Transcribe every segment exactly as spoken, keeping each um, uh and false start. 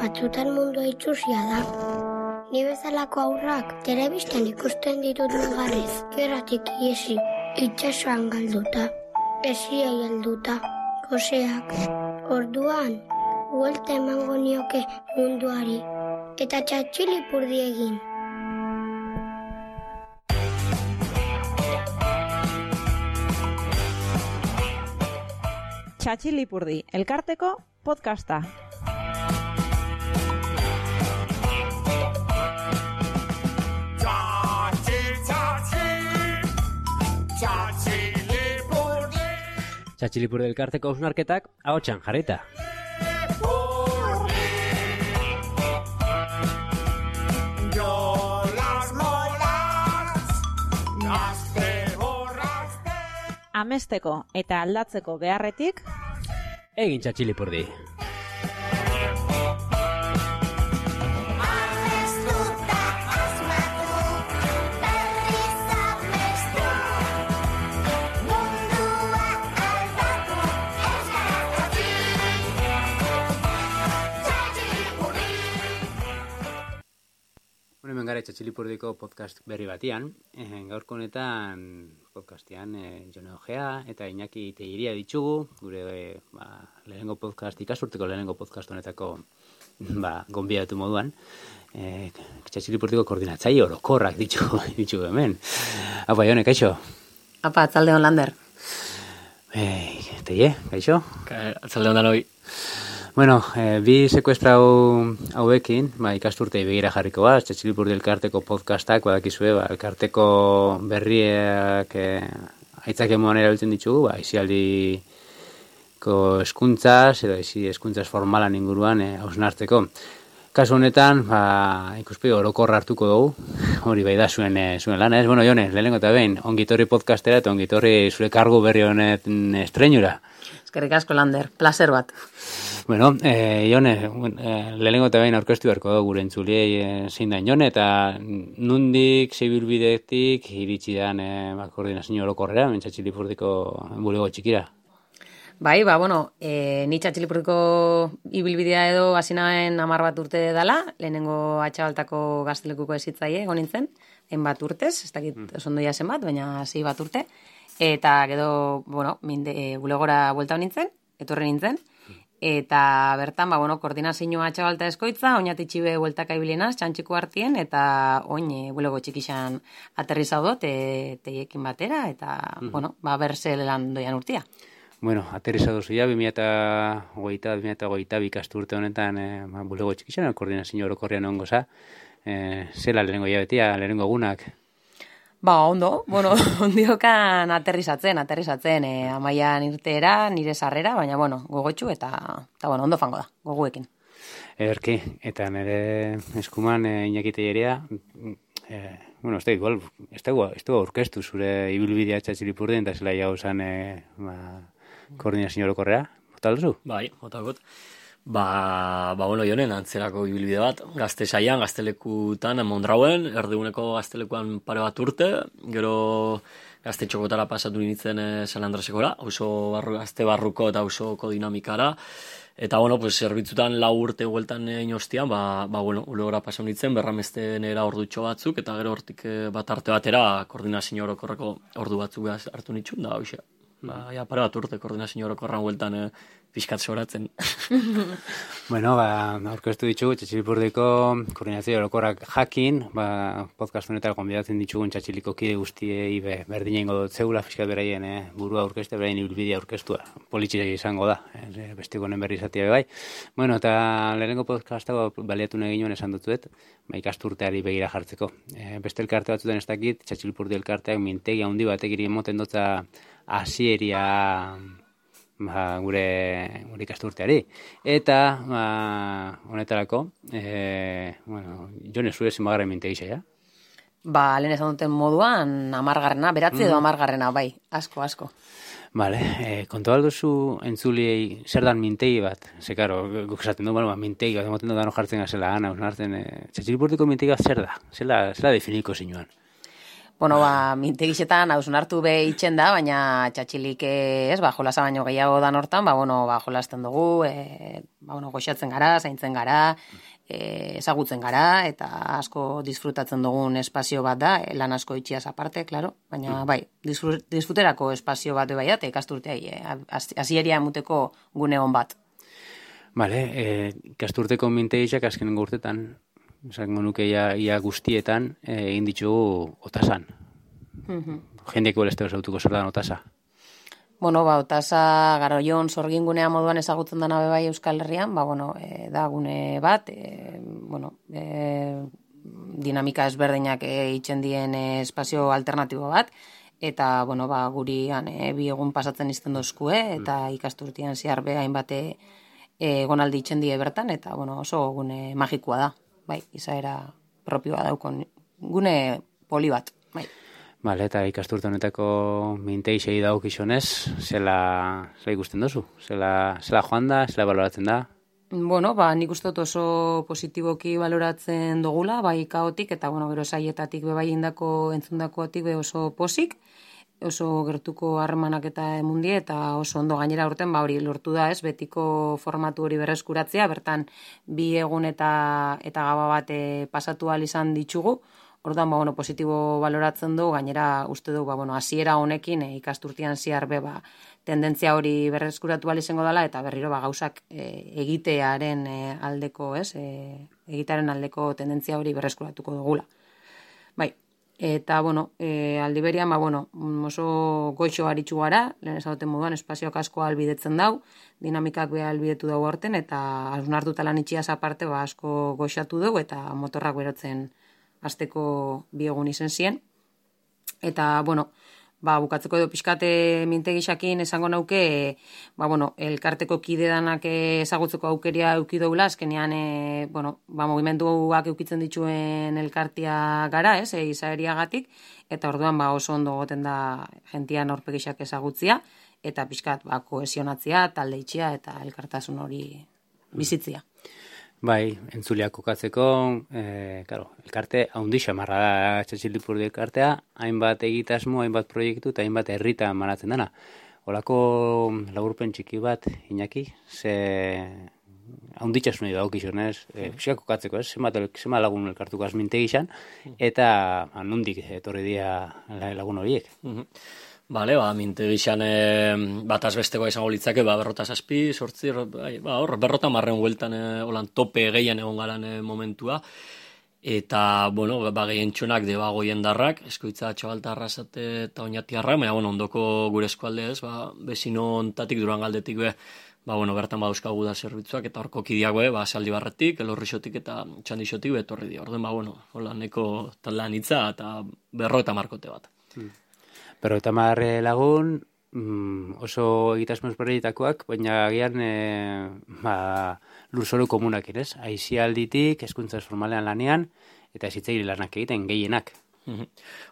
batzutan mundua itxusia da. Ni bezalako aurrak telebistan ikusten ditut negarrez, gerratik iesi, itxasoan galduta, esiai helduta, goseak. Orduan, buelta emango nioke munduari, eta txatxilipurdi egin. Txatxilipurdi, elkarteko podcasta. Txatxilipurdi elkarteko hausnarketak ahotsan jarrita. Amesteko eta aldatzeko beharretik egin txatxilipurdi. Hemen gara Txatxilipurdiko podcast berri batian. E, gaurko honetan podcastian e, Jone Ojea eta Iñaki Tellería ditugu, gure e, ba, lehenengo podcast, ikasurteko lehenengo podcast honetako ba, gonbidatu moduan. E, Txatxilipurdiko koordinatzaile orokorrak ditugu, ditugu hemen. Apa, Jone, kaixo? Apa, atzalde hon, Lander. E, Teie, kaixo? Atzalde hon danoi. Bueno, eh, bi sekuestrau hauekin, ba, ikasturtei begira jarriko bat, Txatxilipurdi elkarteko podcastak, badakizue, ba, elkarteko berriak eh, aitzak emoan erabiltzen ditugu, ba, isialdiko eskuntzaz, edo isi eskuntzaz formalan inguruan eh, hausnartzeko. Kasu honetan, ba, ikuspegi orokorra hartuko dugu, hori bai da zuen, eh, zuen lana, ez? Bueno, Jone, lehenengo eta behin, ongitorri podcastera eta ongitorri zure kargu berri honet estrenura. Eskerrik asko, Lander, placer bat. Bueno, eh, Jone, eh, lehenengo eta behin aurkeztu beharko dugu gure entzuliei eh, zein da Jone, eta nundik, zeibilbidetik, iritsi dan eh, ba, koordinazio orokorrera, Txatxilipurdiko bulego txikira. Bai, ba, bueno, e, ni Txatxilipurdiko ibilbidea edo hasi nahen hamar bat urte dela, lehenengo atxabaltako gaztelekuko ezitzaile egon nintzen, hainbat urtez, ez dakit mm. osondoia zenbat, baina hasi bat urte, eta gero, bueno, minde, e, bulegora buelta nintzen, etorri nintzen, eta bertan, ba, bueno, koordinazioa atxabalta eskoitza, oinatitxibe bueltaka ibilenaz, txantxiko hartien, eta oin e, bulego txikixan aterrizau dut, e, teiekin batera, eta, mm. bueno, ba, berze lan doian urtia. Bueno, aterrizau duzu ya, bi mila hogeita, bi mila hogeita bikasturte honetan, e, ba, bulego txikixan, koordinazio orokorrean ongo za, e, zela lehenengo jabetia, lehenengo egunak? Ba, ondo, bueno, ondiokan aterrizatzen, aterrizatzen, e, amaian irteera, nire sarrera, baina, bueno, gogotxu eta, eta bueno, ondo fango da, goguekin. Ederki, eta nire eskuman e, Iñaki Tellería, e, bueno, ez da igual, ez da aurkeztu zure ibilbidea Txatxilipurdin, eta zela jau zan e, ba, koordinazio orokorrea, bota duzu? Bai, bota gut. Ba, ba, bueno, Jonen, antzerako ibilbide bat, gazte saian, gaztelekutan, Mondrauen, erdiguneko gaztelekuan pare bat urte, gero gazte txokotara pasatu nintzen e, San Andresekora, oso barru, gazte barruko eta osoko dinamikara, eta, bueno, pues, zerbitzutan lau urte hueltan egin ostian, ba, ba, bueno, ulegora pasatu nintzen, berramesten era ordutxo batzuk, eta gero hortik bat arte batera, koordinazio orokorreko ordu batzuk hartu nitxun, da, hoxe. Ba, ja, pare bat urte koordinazio orokorran hueltan e, pixkat soratzen. Bueno, ba, aurkeztu ditugu Txatxilipurdiko koordinazio orokorrak jakin, ba, podcast honetan gonbidatzen ditugun Txatxiliko kide guztiei be, berdina ingo dut zeula, pixkat beraien eh, burua aurkezte, beraien ibilbidea aurkeztua. Politxik izango da, eh, bestiko honen berri izatea bai. Bueno, eta lehenengo podcastago baliatu nahi ginoen esan dutzuet, ba, ikasturteari begira jartzeko. E, beste elkarte batzutan ez dakit, Txatxilipurdi elkarteak mintegi handi batek iri emoten dutza hasieria ba, gure, gure ikasturteari. Eta, ba, honetarako, e, bueno, Jone, zure zenbagarren mintegisa, ja? Ba, lehen esan duten moduan, amargarrena, beratzi edo amargarrena, bai, asko, asko. Vale, eh, kontu alduzu entzuliei zer dan mintegi bat? Ze, karo, guk esaten du, bueno, mintegi bat, emoten dut dano jartzen gazela, ana, hartzen, eh, Txatxilipurdiko mintegi bat zer da? Zela, zela definiko zinuan? Bueno, ba, mintegixetan hausun hartu be itxen da, baina txatxilik ez, ba, jolasa baino gehiago dan hortan, ba, bueno, ba, jolasten dugu, e, ba, bueno, goxatzen gara, zaintzen gara, e, ezagutzen gara, eta asko disfrutatzen dugun espazio bat da, e, lan asko itxiaz aparte, claro, baina, bai, disfrut, disfruterako espazio bat bai, eta ikasturteai, e, hasieria emuteko gune hon bat. Bale, e, ikasturteko mintegixak azkenengo urtetan, esango nuke ia, ia guztietan egin ditugu otasan. Mm-hmm. Jendeak bolesteo zautuko zer da otasa? Bueno, ba, otasa Garoion sorgin gunea moduan ezagutzen dana bebai Euskal Herrian, ba, bueno, e, da gune bat, e, bueno, e, dinamika ezberdinak e, itxen dien e, espazio alternatibo bat, eta, bueno, ba, gurian e, bi egun pasatzen izten dozkue, eta mm. ikasturtian zehar be hainbate e, gonaldi itxen die bertan, eta, bueno, oso gune magikoa da. Bai, izaera propioa daukon gune poli bat, bai. Bale, eta ikasturte honetako minteixei daukizonez, zela, zela ikusten dozu? Zela, zela joan da, zela baloratzen da? Bueno, ba, nik uste dut oso positiboki baloratzen dugula, bai kaotik, eta, bueno, gero saietatik bebai indako, entzundakoatik be oso posik, oso gertuko harremanak eta emundie, eta oso ondo gainera urten, ba hori lortu da, ez, betiko formatu hori berreskuratzea, bertan bi egun eta eta gaba bat e, pasatu ahal izan ditugu, orduan, ba, bueno, positibo baloratzen du, gainera uste du, ba, bueno, hasiera honekin e, ikasturtian ziar be, ba, tendentzia hori berreskuratu ahal izango dela, eta berriro, ba, gauzak e, egitearen e, aldeko, ez, e, egitearen aldeko tendentzia hori berreskuratuko dugula. Bai, eta, bueno, e, aldi berian, ba, bueno, oso goixo aritsu gara, lehen ezagoten moduan, espazioak asko albidetzen dau, dinamikak beha albidetu dau horten, eta hausnartuta lan itxiaz aparte, ba, asko goxatu dugu, eta motorrak berotzen azteko biegun izen zien. Eta, bueno, ba, bukatzeko edo pixkate mintegixakin esango nauke, ba, bueno, elkarteko kide danak ezagutzeko aukeria euki doula, azkenean, e, bueno, ba, mugimenduak eukitzen dituen elkartia gara, ez, e, izaeriagatik, eta orduan, ba, oso ondo goten da gentian aurpegixak ezagutzia, eta pixkat, ba, kohesionatzia, talde itxia, eta elkartasun hori bizitzia. Bai, entzuleak kokatzeko, e, claro, elkarte haundi xamarra da Txatxilipurdi elkartea, hainbat egitasmo, hainbat proiektu eta hainbat herritan manatzen dena. Olako laburpen txiki bat, Iñaki, ze haunditxasunei daukizunez, e, pixka kokatzeko, ez? Zenbat, zenbat lagun elkartuko azmintegizan, eta nondik etorri dira lagun horiek. Bale, ba, mintegixan e, bat azbestekoa izango litzake, ba, berrota zazpi, sortzi, ba, hor, berrota marren hueltan e, holan tope gehien egon garan e, momentua. Eta, bueno, ba, gehien txonak deba goien darrak, eskoitza txabalta arrasate eta oinatiarra, baina, bueno, ondoko gure eskualde ez, ba, bezino ontatik, duran galdetik be, ba, bueno, bertan badauzkagu da zerbitzuak, eta horko kidiago, ba, saldi barretik, elorrixotik eta txandixotik betorri di. Orden, ba, bueno, hola, neko taldean hitza eta berro eta markote bat. Hmm. Pero eta marre lagun, mm, oso egitasmo ezberdinetakoak, baina agian e, ba, lurzoru komunak ere, aizialditik, hezkuntza formalean lanean, eta ezitzaile lanak egiten, gehienak.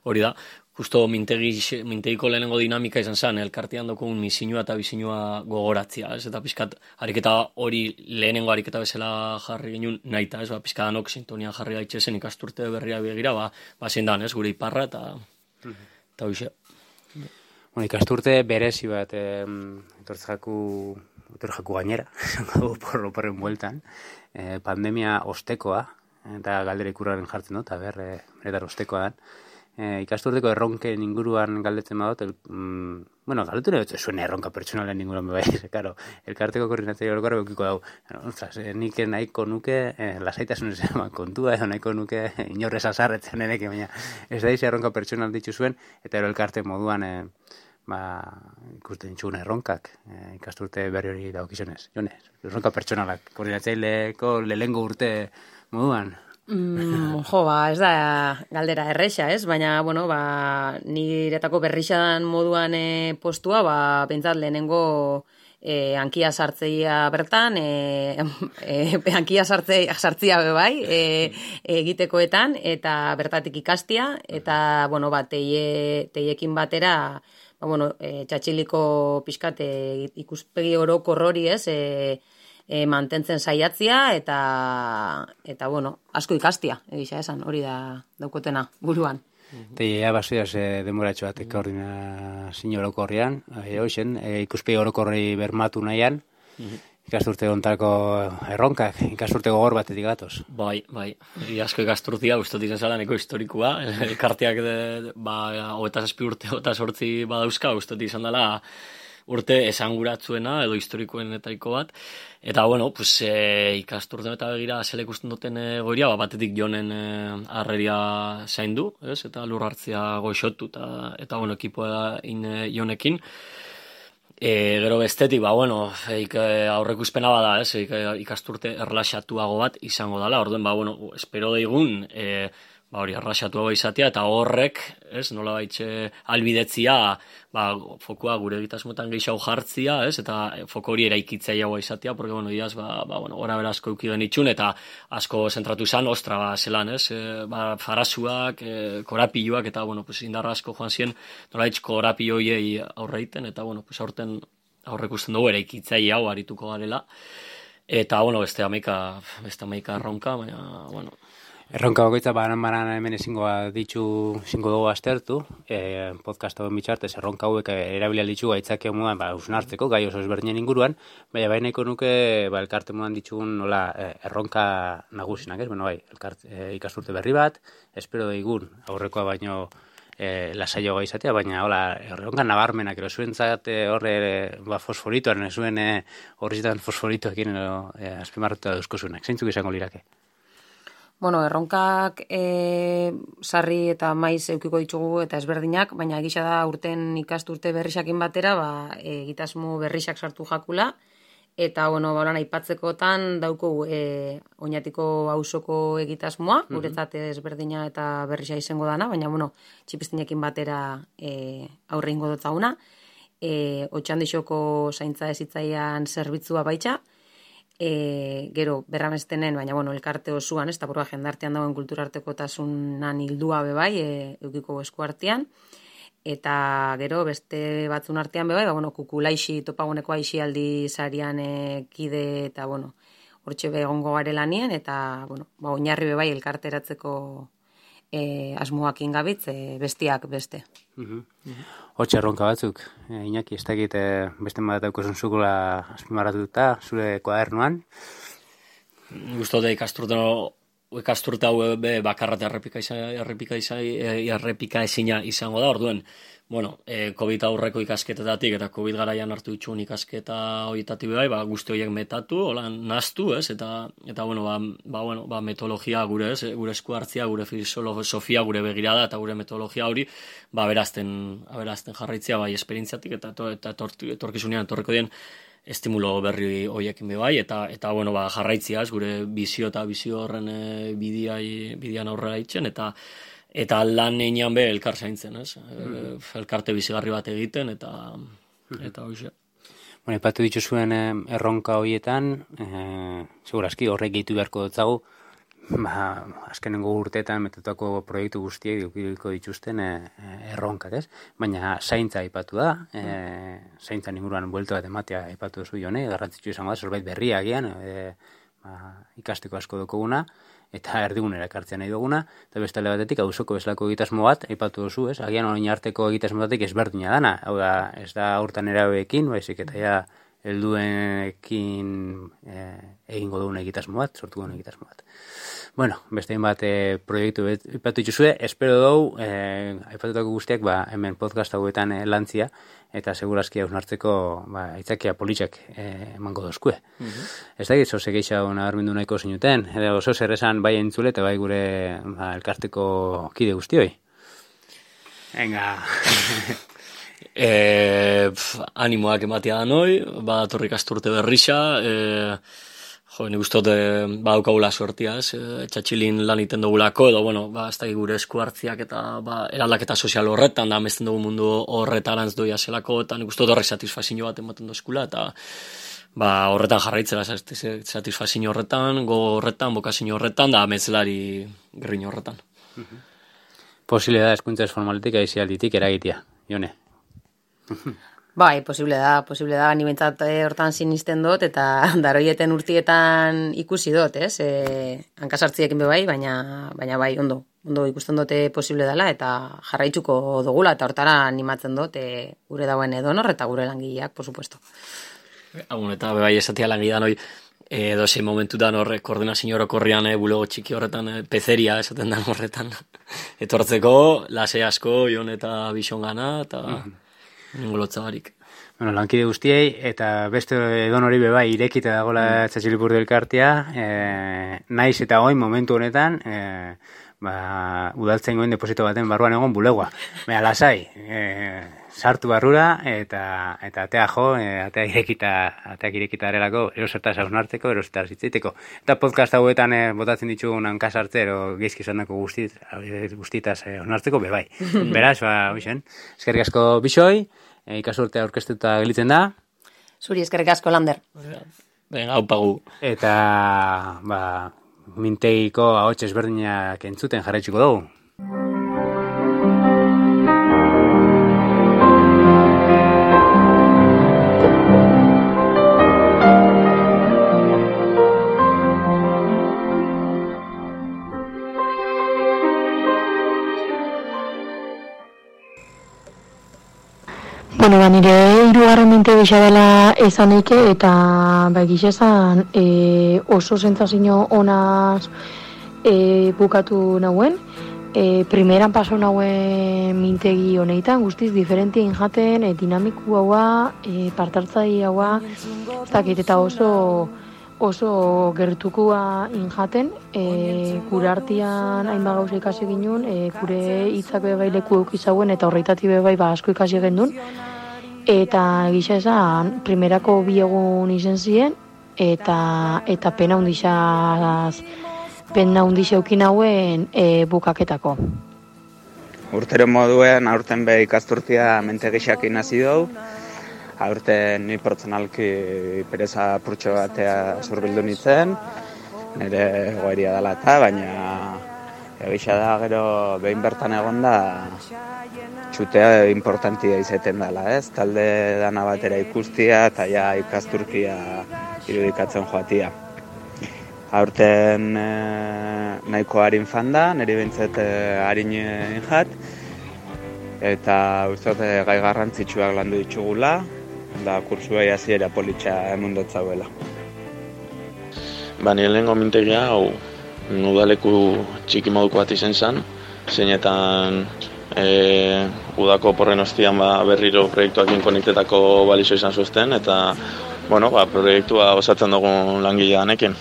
Hori da, justo mintegi, mintegiko lehenengo dinamika izan zen, elkartean dokun misinua eta bisinua gogoratzia, ez? Eta pixkat, ariketa hori lehenengo ariketa bezala jarri genuen nahita, ez? Ba, pixkat anok sintonian jarri gaitxezen ikasturte berria begira, ba, ba zein dan, ez? Gure iparra eta eta hoxe. Bueno, ikasturte berezi bat eh, etortzaku, etortzaku gainera, porro porren bueltan, eh, pandemia ostekoa, eta galdera ikurraren jartzen dut, eta ber, eh, beretar ostekoa dan. Eh, ikasturteko erronken inguruan galdetzen badot, el, mm, bueno, galdetu nahi zuen erronka pertsonalen inguruan bai, claro, elkarteko koordinatzaile orokorra beukiko dau. Ostras, eh, nik nahiko nuke eh, lasaitasunez eman kontua, edo nahiko nuke inorrez azarretzen eneke, baina ez da izi erronka pertsonal ditu zuen, eta ero elkarte moduan eh, ba, ikusten txun erronkak eh, ikasturte berri hori daukizunez. Jonez, erronka pertsonalak, koordinatzaileko lehengo urte moduan. Mm, jo, ba, ez da galdera erresa, ez? Baina, bueno, ba, niretako berrixadan moduan e, postua, ba, bentsat lehenengo e, hankia sartzeia bertan, e, e, hankia sartzea, sartzea bebai, e, egitekoetan, eta bertatik ikastia, eta, bueno, ba, teie, teiekin batera, ba, bueno, e, txatxiliko pixkat e, ikuspegi orokor hori, ez, e, E, mantentzen saiatzia eta eta bueno, asko ikastia, egisa esan, hori da daukotena buruan. Eta ja, basoiaz e, demoratxo bat koordinazio orokorrean, e, hoxen, e, ikuspegi orokorri bermatu nahian, ikasturte ontako erronkak, ikasturte gogor batetik gatoz. Bai, bai, I asko ikasturtia, ustot izan zala neko historikoa, elkarteak, de, ba, hogeita zazpi urte, hogeita sortzi badauzka, ustot izan dela, urte esanguratzuena edo historikoenetaiko bat. Eta, bueno, pues, e, ikasturten eta begira zela ikusten duten e, goiria, ba, batetik jonen e, arreria zaindu, ez? Eta lur hartzia goixotu, eta, eta bueno, ekipoa in e, jonekin. E, gero bestetik, ba, bueno, ik, e, aurrekuzpena bada, ez? Ik, ikasturte erlaxatuago bat izango dela, orduen, ba, bueno, espero daigun, e, ba, hori erlaxatuago izatea, eta horrek, ez, nola baitxe albidetzia, ba, fokua gure egitasmotan gehiago jartzia, ez, eta foko hori eraikitzaiagoa izatea, porque, bueno, diaz, ba, ba, bueno, ora bera asko euki genitxun, eta asko zentratu zan, ostra, ba, zelan, ez, e, ba, farasuak, e, korapiloak, eta, bueno, pues, indarra asko joan ziren, nola baitxe korapilloiei aurreiten, eta, bueno, pues, aurten aurrek usten dugu eraikitzaile hau arituko garela, eta, bueno, beste amaika, beste amaika erronka, baina, bueno, Erronka bakoitza banan-banan hemen ezingoa ditu, ezingo dugu aztertu, e, podcast hauen bitxartez, erronka hauek erabilia ditu gaitzakea modan, ba, usnartzeko, gai oso ezberdinen inguruan, baina baineko nuke, ba, elkarte modan ditugun, nola, erronka nagusinak, ez? Bueno, bai, elkarte, e, ikasturte berri bat, espero daigun, aurrekoa baino e, lasaioa izatea, baina, hola, erronka nabarmenak, ero zuentzat horre, ba, fosforitoan, zuen e, horrizitan fosforitoekin, e, azpimarratu da duzkozunak, zeintzuk izango lirake? Bueno, erronkak e, sarri eta maiz eukiko ditugu eta ezberdinak, baina egisa da urten ikasturte berrixakin batera, ba, egitasmo berrixak sartu jakula, eta, bueno, ba, aipatzekotan dauko e, oinatiko auzoko egitasmoa, mm-hmm. guretzat ezberdina eta berrixa izango dana, baina, bueno, txipistinekin batera e, aurre ingo dotzaguna, e, otxandixoko zaintza ezitzaian zerbitzua baitxa, E, gero berramestenen, baina bueno, elkarte osuan, ez da burua jendartean dagoen kulturartekotasunan hildua bebai, e, eukiko eskuartean, eta gero beste batzun artean bebai, ba, bueno, kukulaixi topaguneko aixialdi sarian e, kide eta bueno, hortxe begongo garelanien, eta bueno, ba, oinarri bebai elkarteratzeko e, asmoak ingabitz, e, bestiak beste. Uh-huh. Uh-huh. Hortxe erronka batzuk, e, Iñaki, ez dakit e, beste bat daukozun zukula azpimarratuta, zure koadernuan. Gustote ikasturte ikasturte hau be bakarra errepika errepika errepika ezina izango da, orduen. Bueno, eh, COVID aurreko ikasketetatik eta COVID garaian hartu dituen ikasketa horietatik bai, ba guzti horiek metatu, hola nahastu, ez? Eta eta bueno, ba, ba bueno, ba metodologia gure, ez? Gure esku hartzia, gure filosofia, gure begirada eta gure metodologia hori, ba berazten, aberazten jarraitzea bai esperientziatik eta to, eta etorkizunean etorriko dien estimulo berri hoiekin be bai, eta eta bueno, ba jarraitziaz gure bizio eta bizio horren e, bidiai bidian aurrera itzen, eta eta lan einean be elkar zaintzen, ez? Mm. Elkarte bizigarri bat egiten, eta mm. eta hoxe. Bueno, ipatu dituzuen erronka horietan, eh, segurazki horrek gehitu beharko dutzagu, ba, azkenengo urteetan metatutako proiektu guztiek edukiko dituzten eh, erronkak, ez? Baina zaintza aipatu da, eh, zaintzan inguruan buelta bat ematea aipatu duzu jone, garrantzitsu izango da, zerbait berria agian, eh, ba, ikasteko asko dukoguna, eta erdigunera ekartzen nahi duguna, eta beste alde batetik auzoko bezalako egitasmo bat, aipatu duzu, ez? Agian orain arteko egitasmo batetik ezberdina dana, hau da, ez da hortan erabeekin, baizik eta ja helduenekin eh, egingo dugun egitasmo bat, sortu dugun egitasmo bat. Bueno, beste bat eh, proiektu aipatu dituzue, espero dugu, eh, aipatutako guztiak, ba, hemen podcast hauetan eh, lantzia, eta segurazki hausnartzeko ba, aitzakia politxak eh, emango dozkue. Mm-hmm. Ez da gitzo segeixa hona arbindu nahiko zinuten, edo oso zer esan bai entzule eta bai gure ba, elkarteko kide guztioi. Venga! e, pf, animoak ematea da noi, badatorrik asturte berrixa, e, jo, nik ustot e, badaukagula sortia, ez, e, txatxilin lan iten dugulako, edo, bueno, ba, ez da gure esku hartziak eta ba, eraldaketa sozial horretan, da, amesten dugu mundu horretarantz doia zelako, eta nik ustot horrek satisfazio bat ematen dozkula, eta ba, horretan jarraitzera satisfazio horretan, go horretan, bokazio horretan, da, ametzelari gerrin horretan. Posible da eskuntza esformaletik aizialditik eragitea, Jone. Bai, posible da, posible da, ni bentsat e, hortan sinisten dut, eta daroieten urtietan ikusi dut, ez? E, hankasartziekin be bai, baina, baina bai, ondo, ondo ikusten dute posible dela, eta jarraitzuko dugula, eta hortara animatzen dut, e, gure dauen edonor, eta gure langileak, por supuesto. Agun, eta be bai esatia langilean hoi, edo zein momentutan horre koordinazio orokorrian e, bulego txiki horretan, e, pezeria esaten da horretan, etortzeko, lase asko, jon eta bison gana, eta... Mm-hmm. Ningolotza barik. Bueno, lankide guztiei, eta beste edon hori bebai irekita dagoela mm. Txatxilipurdi elkartea, e, naiz eta goin momentu honetan, e, ba, udaltzen goen deposito baten barruan egon bulegoa. Baina lasai, e, sartu barrura, eta eta atea jo, e, atea irekita, ateak irekita arelako, erosertaz hausnartzeko, erosertaz hitzeiteko. Eta podcast hauetan e, botatzen ditugun hankasartze, ero geizki zanako guztit, guztitaz hausnartzeko, bebai. Beraz, ba, bixen, eskerrik asko bixoi, e, ikasurtea aurkeztuta gelitzen da. Zuri eskerrik asko, Lander. Venga, haupagu. Eta, ba, mintegiko ahots ezberdinak entzuten jarraitzuko dugu. Bueno, ba, nire hirugarren minte gisa dela esanik eta ba, gisa esan e, oso sentsazio onaz e, bukatu nauen. E, primeran paso nauen mintegi honetan, guztiz diferentien jaten, e, dinamiku haua, e, partartzai haua, ez dakit, eta oso oso gertukua injaten, e, gure artian hainbat gauza ikasi ginen, e, gure hitzak bebai leku eukizauen eta horreitati bebai ba, asko ikasi gendun. Eta gisa esan, primerako bi egun izen ziren, eta, eta pena hundixaz, pena hundixea eukin hauen e, bukaketako. Urtero moduen, aurten be ikasturtia mente gixakin hasi dugu. Aurten ni pertsonalki pereza purtxo batea zurbildu nintzen, nire goeria dela eta, baina egisa da gero behin bertan egon da txutea importantia izeten dela, ez? Talde dana batera ikustia eta ja ikasturkia irudikatzen joatia. Aurten e, nahiko harin fanda, niri bintzet e, harin injat, eta uste gai garrantzitsuak landu ditugula, da kursuei hasiera politxa emundotzauela. Ba, nire lehenko mintegia, hau, udaleku txiki moduko bat izen zen, zeinetan e, udako porren ostian ba, berriro proiektuakin konektetako balizo izan zuzten, eta bueno, ba, proiektua osatzen dugun langilea danekin.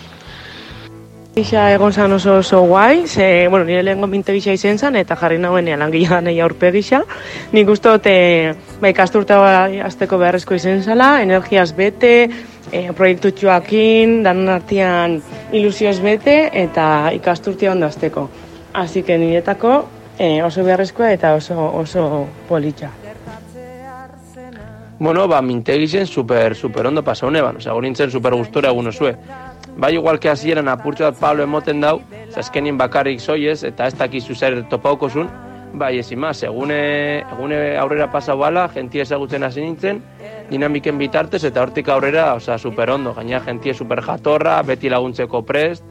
Gisa egon zan oso oso guai, ze, bueno, nire lehenko minte gisa izen zen, eta jarri nagoen langilea danei aurpe gisa. Nik uste dut, e, ba, ikasturta azteko beharrezko izen zala, energiaz bete, e, proiektu txuakin, danon artean ilusioz bete, eta ikasturtia ondo azteko. Así que niretako e, oso beharrezkoa eta oso, oso politxa. Bueno, ba, mintegi zen super, super ondo pasa honeban, oza, nintzen super gustora egun osue. Bai, igual que hasieran apurtxo bat Pablo emoten dau, zaskenien bakarrik zoiez, eta ez dakizu zer topaukozun, bai, ez imaz, egune, egune aurrera pasau bala, jentia ezagutzen hasi nintzen, dinamiken bitartez, eta hortik aurrera, oza, super ondo, gaina jentia super jatorra, beti laguntzeko prest,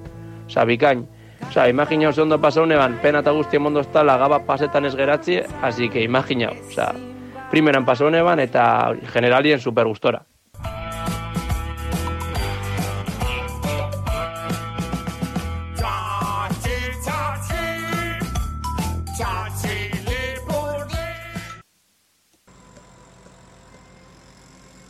oza, bikain. Oza, imaginau ze ondo pasau neban, pena eta guztien mondo ez tala, gaba pasetan ez geratzi, así que imaginau, oza, primeran pasau neban, eta generalien super gustora.